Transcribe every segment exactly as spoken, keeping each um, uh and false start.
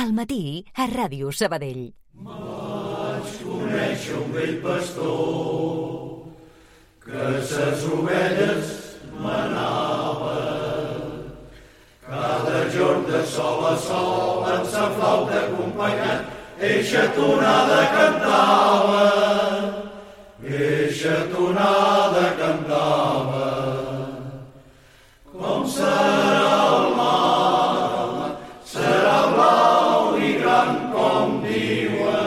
al matí a Ràdio Sabadell. Vaig conèixer un vell pastor que ses ovelles manava. Cada jorn de sol a sol en sa flauta acompanyat eixa tonada cantava. Eixa tonada cantava. Com serà el mar, serà blau i gran com diuen.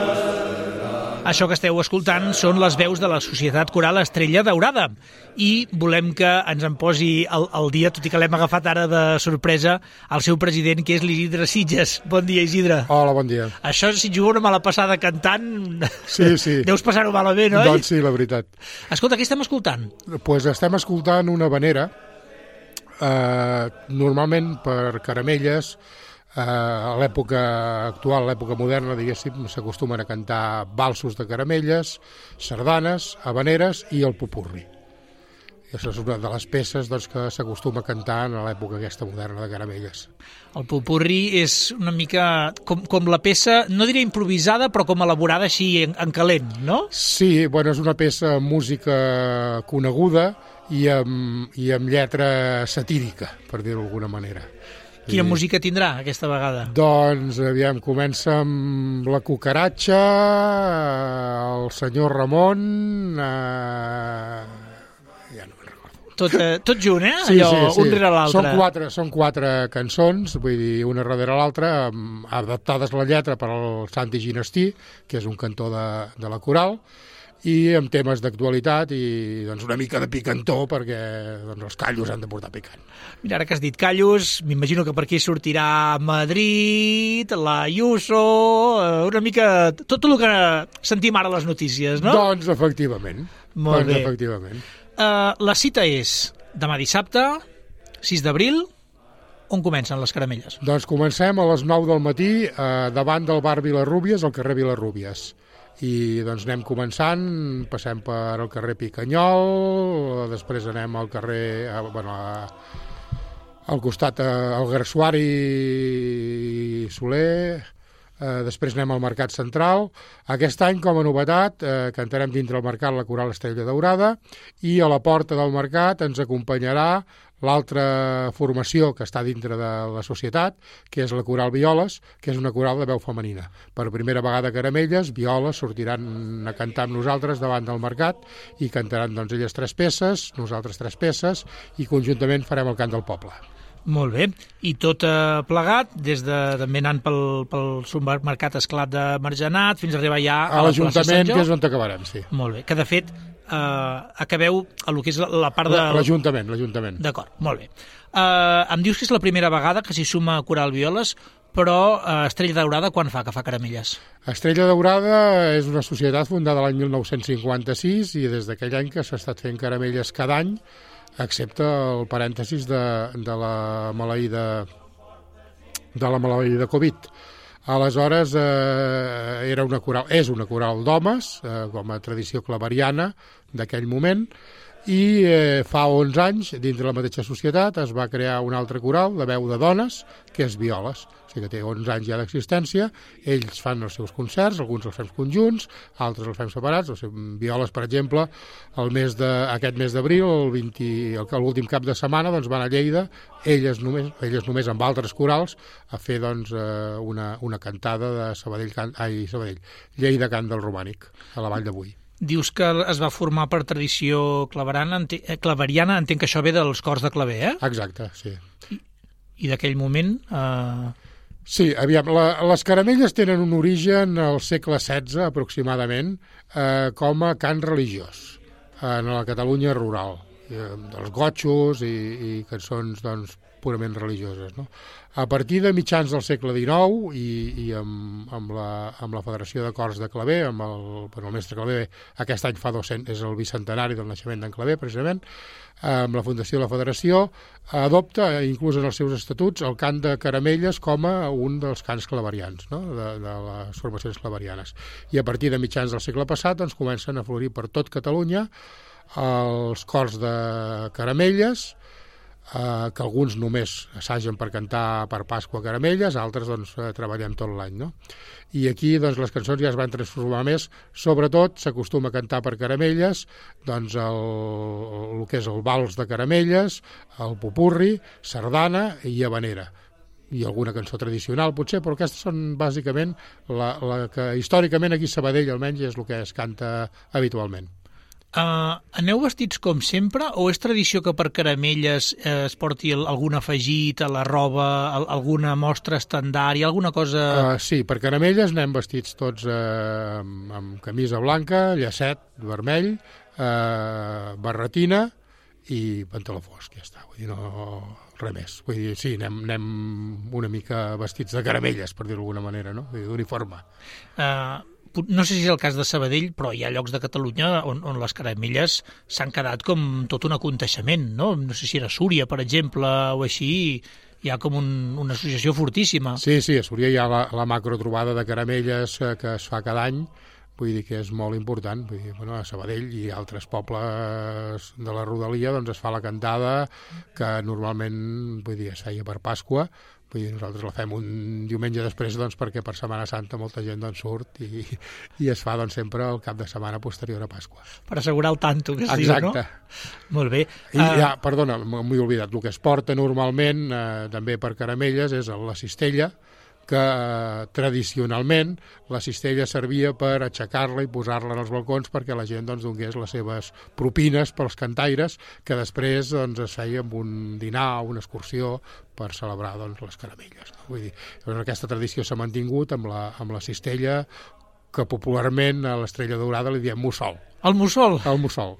Això que esteu escoltant són les veus de la Societat Coral Estrella Daurada i volem que ens en posi al, al dia, tot i que l'hem agafat ara de sorpresa, el seu president, que és l'Isidre Sitges. Bon dia, Isidre. Hola, bon dia. Això, si et juga una mala passada cantant, sí, sí. deus passar-ho malament, oi? Doncs sí, la veritat. Escolta, què estem escoltant? Doncs pues estem escoltant una habanera, eh, normalment per Caramelles. Uh, a l'època actual, a l'època moderna, diguéssim, s'acostumen a cantar valsos de caramelles, sardanes, habaneres i el popurri. I això és una de les peces doncs, que s'acostuma a cantar en l'època aquesta moderna de Caramelles. El popurri és una mica com, com la peça, no diré improvisada, però com elaborada així en, en calent, no? Sí, bueno, és una peça amb música coneguda i amb, i amb lletra satírica, per dir-ho d'alguna manera. Quina I... música tindrà aquesta vegada? Doncs, aviam, comença amb la cucaratxa, el senyor Ramon... Eh... Ja no me'n recordo. Tot, eh, tot junt, eh? Sí, Allò, sí, sí. un rere l'altre. Són quatre, són quatre cançons, vull dir, una darrere l'altra, adaptades la lletra per al Santi Ginestí, que és un cantor de, de la coral, i amb temes d'actualitat i doncs, una mica de picantó perquè doncs, els callos han de portar picant. Mira, ara que has dit callos, m'imagino que per aquí sortirà Madrid, la Ayuso, una mica tot el que sentim ara a les notícies, no? Doncs efectivament. Molt doncs, bé. Efectivament. Uh, la cita és demà dissabte, sis d'abril. On comencen les caramelles? Doncs comencem a les nou del matí eh, davant del bar Vilarrúbies, al carrer Vilarrúbies. I doncs anem començant, passem per el carrer Picanyol, després anem al carrer, a, bueno, a, al costat al Garsuari Soler, eh, després anem al Mercat Central. Aquest any, com a novetat, eh, cantarem dintre el mercat la Coral Estrella Daurada i a la porta del mercat ens acompanyarà l'altra formació que està dintre de la societat, que és la Coral Violes, que és una coral de veu femenina. Per primera vegada a Caramelles, Violes sortiran a cantar amb nosaltres davant del mercat i cantaran doncs, elles tres peces, nosaltres tres peces, i conjuntament farem el cant del poble. Molt bé. I tot eh, plegat, des de també anant pel, pel supermercat Esclat de Margenat fins a arribar ja a, a la plaça Sant l'Ajuntament, Jo. que és on acabarem, sí. Molt bé. Que, de fet, eh, acabeu a lo que és la, la part de... L'Ajuntament, l'Ajuntament. D'acord, molt bé. Eh, em dius que és la primera vegada que s'hi suma Coral Violes, però eh, Estrella Daurada quan fa que fa caramelles? Estrella Daurada és una societat fundada l'any mil nou-cents cinquanta-sis i des d'aquell any que s'ha estat fent caramelles cada any, excepte el parèntesis de, de la maleïda de la maleïda Covid. Aleshores, eh, era una coral, és una coral d'homes, eh, com a tradició claveriana d'aquell moment, i eh, fa onze anys, dintre la mateixa societat, es va crear un altre coral de veu de dones, que és Violes. O sigui que té onze anys ja d'existència, ells fan els seus concerts, alguns els fem conjunts, altres els fem separats. O sigui, Violes, per exemple, el mes de, aquest mes d'abril, el vint, l'últim cap de setmana, doncs van a Lleida, elles només, elles només amb altres corals, a fer doncs, una, una cantada de Sabadell, can, ai, Sabadell, Lleida Cant del Romànic, a la Vall d'Avui. Dius que es va formar per tradició claveriana, claveriana, entenc que això ve dels cors de claver, eh? Exacte, sí. I, i d'aquell moment... Eh... Sí, aviam, la, les caramelles tenen un origen al segle setze, aproximadament, eh, com a cant religiós, en la Catalunya rural, eh, dels gotxos i, i cançons, doncs, purament religioses, no? A partir de mitjans del segle dinou i, i amb, amb, la, amb la Federació de Cors de Claver, amb el, bueno, el mestre Claver, aquest any fa dos-cents, és el bicentenari del naixement d'en Claver, precisament, amb la fundació de la Federació, adopta, inclús en els seus estatuts, el cant de caramelles com a un dels cants claverians, no? de, de les formacions claverianes. I a partir de mitjans del segle passat doncs, comencen a florir per tot Catalunya els cors de caramelles, eh, que alguns només assagen per cantar per Pasqua Caramelles, altres doncs, eh, treballem tot l'any, no? I aquí doncs, les cançons ja es van transformar més, sobretot s'acostuma a cantar per Caramelles doncs, el, el que és el vals de Caramelles, el popurri, sardana i habanera, i alguna cançó tradicional potser, però aquestes són bàsicament la, la que històricament aquí a Sabadell almenys és el que es canta habitualment. Uh, aneu vestits com sempre o és tradició que per Caramelles eh, es porti el, algun afegit a la roba, al, alguna mostra estandard, alguna cosa... Uh, sí, per Caramelles anem vestits tots eh, amb, amb camisa blanca, llacet vermell, eh, barretina i pantaló fosc, ja està, vull dir, no res més. Vull dir, sí, anem, anem una mica vestits de Caramelles, per dir-ho d'alguna manera, no? D'uniforme. Uh, no sé si és el cas de Sabadell, però hi ha llocs de Catalunya on, on les Caramelles s'han quedat com tot un aconteixement, no? No sé si era Súria, per exemple, o així, hi ha com un, una associació fortíssima. Sí, sí, a Súria hi ha la, la macrotrobada de Caramelles eh, que es fa cada any, vull dir que és molt important. Vull dir, bueno, a Sabadell i altres pobles de la rodalia doncs es fa la cantada que normalment, vull dir, es feia per Pasqua. Vull dir, nosaltres la fem un diumenge després doncs, perquè per Setmana Santa molta gent doncs, surt i, i es fa doncs, sempre el cap de setmana posterior a Pasqua. Per assegurar el tanto que es Exacte. diu, no? Molt bé. I uh... ja, perdona, m'ho he oblidat, el que es porta normalment eh, també per Caramelles és la cistella, que eh, tradicionalment la cistella servia per aixecar-la i posar-la en els balcons perquè la gent doncs, donés les seves propines pels cantaires, que després doncs, es feia amb un dinar o una excursió per celebrar doncs, les Caramelles. No? Vull dir, doncs, aquesta tradició s'ha mantingut amb la, amb la cistella, que popularment a l'Estrella Daurada li diem mussol. El mussol? El mussol.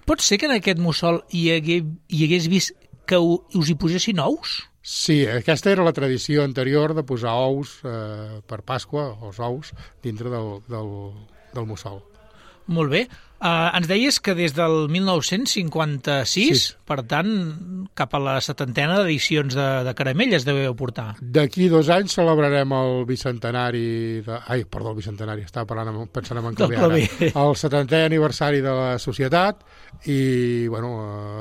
Pot ser que en aquest mussol hi, hagué, hi hagués vist que us hi posessin ous? Sí, aquesta era la tradició anterior de posar ous eh, per Pasqua, els ous, dintre del, del, del mussol. Molt bé. Uh, ens deies que des del mil nou-cents cinquanta-sis, sí. Per tant, cap a la setantena d'edicions de, de Caramelles deveu portar. D'aquí dos anys celebrarem el bicentenari... De... Ai, perdó, el bicentenari, estava parlant, pensant en canviar ara. El setantè aniversari de la societat i, bueno,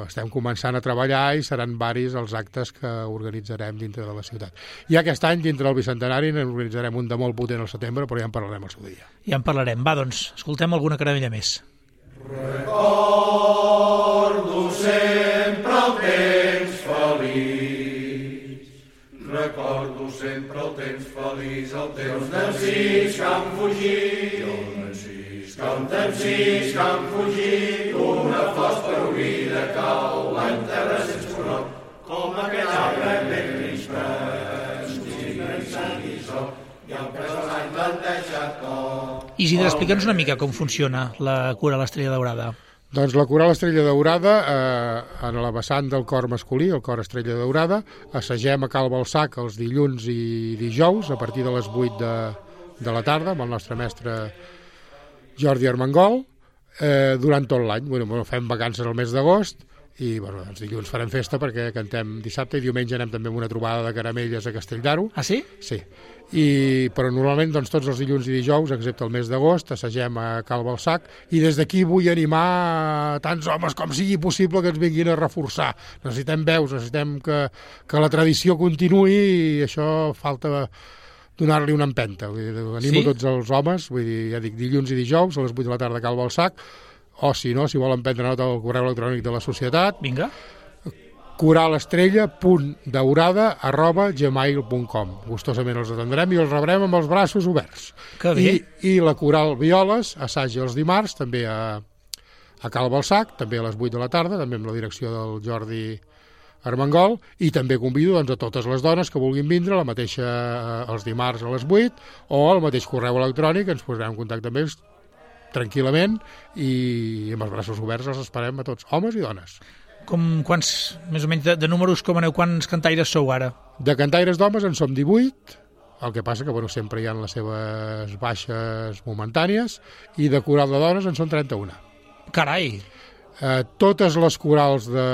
estem començant a treballar i seran varis els actes que organitzarem dintre de la ciutat. I aquest any, dintre del bicentenari, n'organitzarem un de molt potent al setembre, però ja en parlarem al seu dia. Ja en parlarem. Va, doncs, escoltem alguna caramella més. Recordo sempre el temps feliç, recordo sempre el temps feliç, el temps d'encís que han fugit, que un d'encís que han fugit, una flors per oblida cau en terra sense conor, com aquell arbre ben crispes, i sang i so, i el pes de l'any plantejat com... Isidre, explica'ns una mica com funciona la Coral Estrella Daurada. Doncs la Coral Estrella Daurada, eh, en la vessant del cor masculí, el cor Estrella Daurada, assagem a Cal Balsac els dilluns i dijous a partir de les vuit de, de la tarda amb el nostre mestre Jordi Armengol, eh, durant tot l'any. Bueno, bueno, fem vacances al mes d'agost i bueno, doncs dilluns farem festa perquè cantem dissabte i diumenge anem també amb una trobada de Caramelles a Castelldaro. Ah, sí? Sí. I, però normalment doncs, tots els dilluns i dijous, excepte el mes d'agost, assagem a Cal Balsac i des d'aquí vull animar tants homes com sigui possible que ens vinguin a reforçar. Necessitem veus, necessitem que, que la tradició continuï i això falta donar-li una empenta. Vull dir, animo sí? tots els homes, vull dir, ja dic, dilluns i dijous a les vuit de la tarda a Cal Balsac, o si no, si volen prendre nota del correu electrònic de la societat. Vinga. coralestrella punt daurada arroba gmail punt com. Gustosament els atendrem i els rebrem amb els braços oberts. Que bé. I, i la Coral Violes assaja els dimarts, també a, a Cal Balsac, també a les vuit de la tarda, també amb la direcció del Jordi Armengol, i també convido doncs, a totes les dones que vulguin vindre la mateixa eh, els dimarts a les vuit o al mateix correu electrònic, ens posarem en contacte amb ells tranquil·lament i amb els braços oberts els esperem a tots, homes i dones. Com quants, més o menys, de, de números, com aneu, quants cantaires sou ara? De cantaires d'homes en som divuit, el que passa que bueno, sempre hi ha les seves baixes momentànies, i de coral de dones en són trenta-una. Carai! Eh, totes les corals de...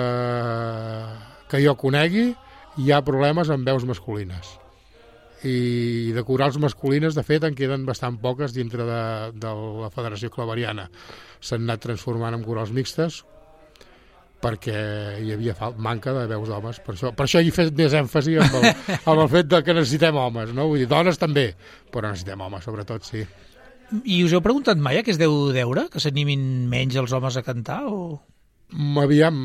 que jo conegui hi ha problemes amb veus masculines. I de corals masculines, de fet, en queden bastant poques dintre de, de la Federació Claveriana. S'han anat transformant en corals mixtes, perquè hi havia fal- manca de veus d'homes. Per això, per això hi he fet més èmfasi amb el, amb el fet de que necessitem homes, no? Vull dir, dones també, però necessitem homes, sobretot, sí. I us heu preguntat mai a què es deu deure? Que s'animin menys els homes a cantar? O... Aviam,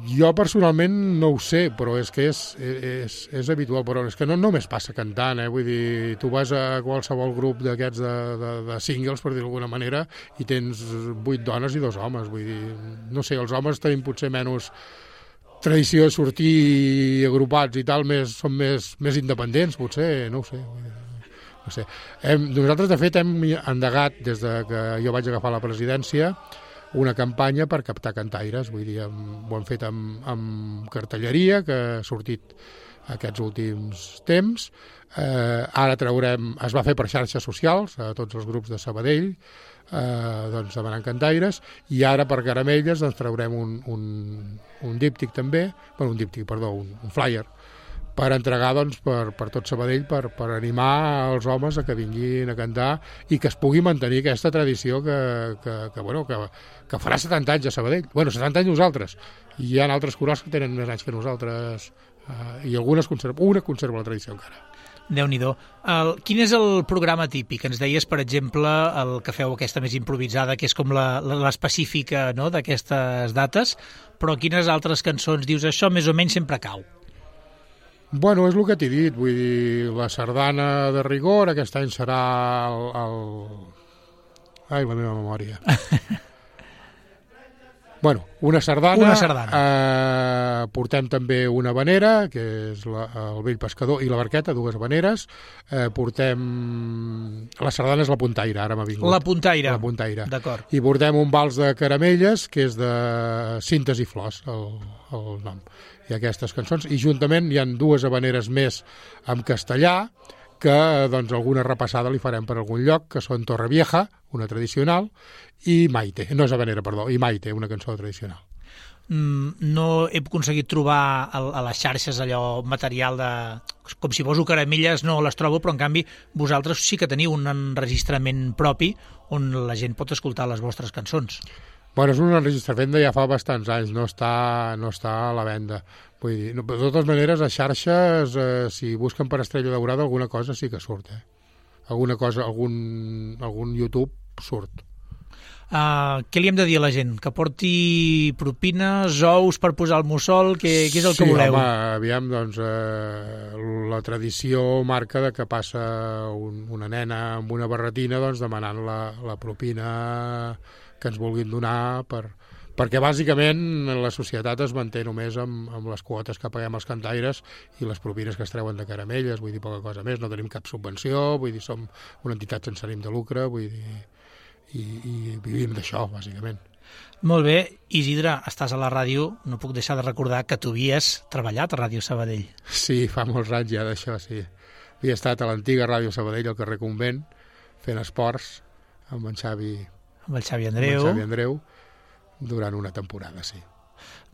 jo personalment no ho sé, però és que és, és, és habitual, però és que no només passa cantant, eh? Vull dir, tu vas a qualsevol grup d'aquests de, de, de singles, per dir d'alguna manera, i tens vuit dones i dos homes, vull dir, no sé, els homes tenim potser menys tradició de sortir agrupats i tal, més, són més, més independents, potser, no ho sé, vull dir. No sé. Hem, nosaltres, de fet, hem endegat, des de que jo vaig agafar la presidència, una campanya per captar cantaires, vull dir, hem, ho hem fet amb, amb cartelleria, que ha sortit aquests últims temps. Eh, ara traurem, es va fer per xarxes socials, a tots els grups de Sabadell, eh, doncs demanant cantaires, i ara per Caramelles doncs, traurem un, un, un díptic també, bueno, un díptic, perdó, un, un flyer, per entregar doncs, per, per tot Sabadell, per, per animar els homes a que vinguin a cantar i que es pugui mantenir aquesta tradició que, que, que, bueno, que, que farà setanta anys a Sabadell. Bueno, setanta anys nosaltres. I hi ha altres corals que tenen més anys que nosaltres eh, i algunes conserva, una conserva la tradició encara. Déu-n'hi-do. El, quin és el programa típic? Ens deies, per exemple, el que feu aquesta més improvisada, que és com la, la, l'específica, no?, d'aquestes dates, però quines altres cançons dius això més o menys sempre cau? Bueno, és el que t'he dit, vull dir, la sardana de rigor, aquest any serà el... el... Ai, la meva memòria. Bueno, una sardana. Una sardana. Eh, portem també una vanera, que és la, el vell pescador, i la barqueta, dues vaneres. Eh, portem... La sardana és la puntaire, ara m'ha vingut. La puntaire. La puntaire. D'acord. I portem un vals de caramelles, que és de Cintes i Flors, el, el nom. I aquestes cançons. I juntament hi han dues habaneres més en castellà, que doncs alguna repassada li farem per algun lloc, que són Torrevieja, una tradicional, i Maite, no és habanera, perdó, i Maite, una cançó tradicional. Mm, no he aconseguit trobar a, a les xarxes allò material de... Com si poso caramelles no les trobo, però en canvi vosaltres sí que teniu un enregistrament propi on la gent pot escoltar les vostres cançons. Bueno, és un enregistrament de ja fa bastants anys, no està, no està a la venda. Vull dir, no, de totes maneres, a xarxes, eh, si busquen per Estrella Daurada, alguna cosa sí que surt, eh? Alguna cosa, algun, algun YouTube surt. Uh, què li hem de dir a la gent? Que porti propines, ous per posar al mussol? Què, què és el sí, que voleu? Sí, home, aviam, doncs, eh, la tradició marca de que passa un, una nena amb una barretina doncs, demanant la, la propina que ens vulguin donar per, perquè bàsicament la societat es manté només amb, amb les quotes que paguem als cantaires i les propines que es treuen de caramelles, vull dir, poca cosa més, no tenim cap subvenció, vull dir, som una entitat sense ànim de lucre, vull dir, i, i vivim d'això, bàsicament. Molt bé, Isidre, estàs a la ràdio, no puc deixar de recordar que tu havies treballat a Ràdio Sabadell. Sí, fa molts anys ja d'això, sí. Havia estat a l'antiga Ràdio Sabadell, al carrer Convent, fent esports amb en Xavi amb el Xavi Andreu. Amb el Xavi Andreu, durant una temporada, sí.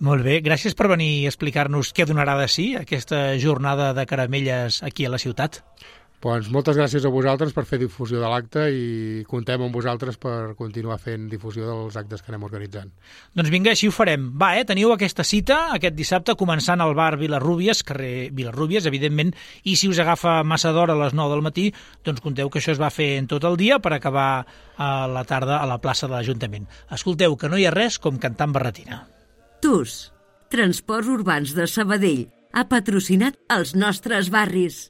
Molt bé, gràcies per venir a explicar-nos què donarà de si aquesta jornada de caramelles aquí a la ciutat. Doncs moltes gràcies a vosaltres per fer difusió de l'acte i contem amb vosaltres per continuar fent difusió dels actes que anem organitzant. Doncs vinga, així ho farem. Va, eh, teniu aquesta cita aquest dissabte començant al bar Vilarrúbies, carrer Vilarrúbies, evidentment, i si us agafa massa d'hora a les nou del matí, doncs conteu que això es va fer en tot el dia per acabar a la tarda a la plaça de l'Ajuntament. Escolteu, que no hi ha res com cantar en barretina. T U S, Transports Urbans de Sabadell, ha patrocinat els nostres barris.